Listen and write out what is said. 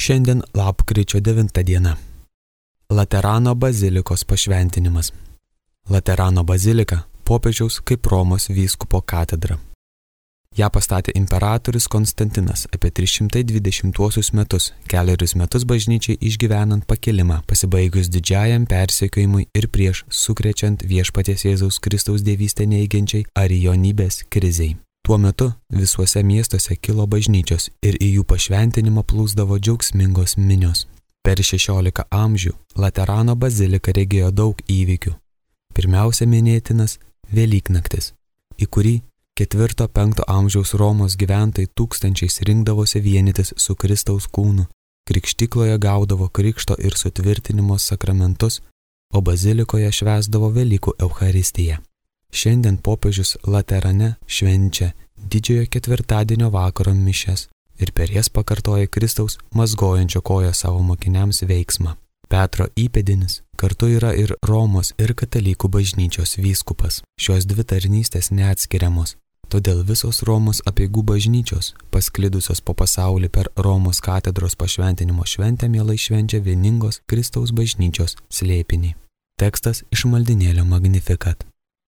Šiandien lapkričio 9 diena. Laterano bazilikos pašventinimas. Laterano bazilika popiežiaus kaip Romos vyskupo katedra. Ją pastatė imperatorius Konstantinas apie 320 metus, kelerius metus bažnyčiai išgyvenant pakilimą, pasibaigus didžiajam persekiojimui ir prieš sukrečiant viešpaties Jėzaus Kristaus dievystę neigiančiai arijonybės krizei. Tuo metu visuose miestuose kilo bažnyčios ir į jų pašventinimą plūsdavo džiaugsmingos minios. Per 16 amžių Laterano bazilika regėjo daug įvykių. Pirmiausia minėtinas Velyknaktis, į kurį 4-5 amžiaus Romos gyventojai tūkstančiais rinkdavosi vienytis su Kristaus kūnu, krikštykloje gaudavo krikšto ir sutvirtinimo sakramentus, o bazilikoje švęsdavo Velykų Eucharistiją. Šiandien popiežius Laterane švenčia didžiojo ketvirtadienio vakaro mišias ir per jas pakartoja Kristaus mazgojančio koją savo mokiniams veiksmą. Petro įpėdinis kartu yra ir Romos ir katalikų bažnyčios vyskupas. Šios dvi tarnystės neatskiriamos. Todėl visos Romos apeigų bažnyčios, pasklidusios po pasaulį per Romos katedros pašventinimo šventę, mielai švenčia vieningos Kristaus bažnyčios slėpinį. Tekstas iš maldinėlio Magnificat.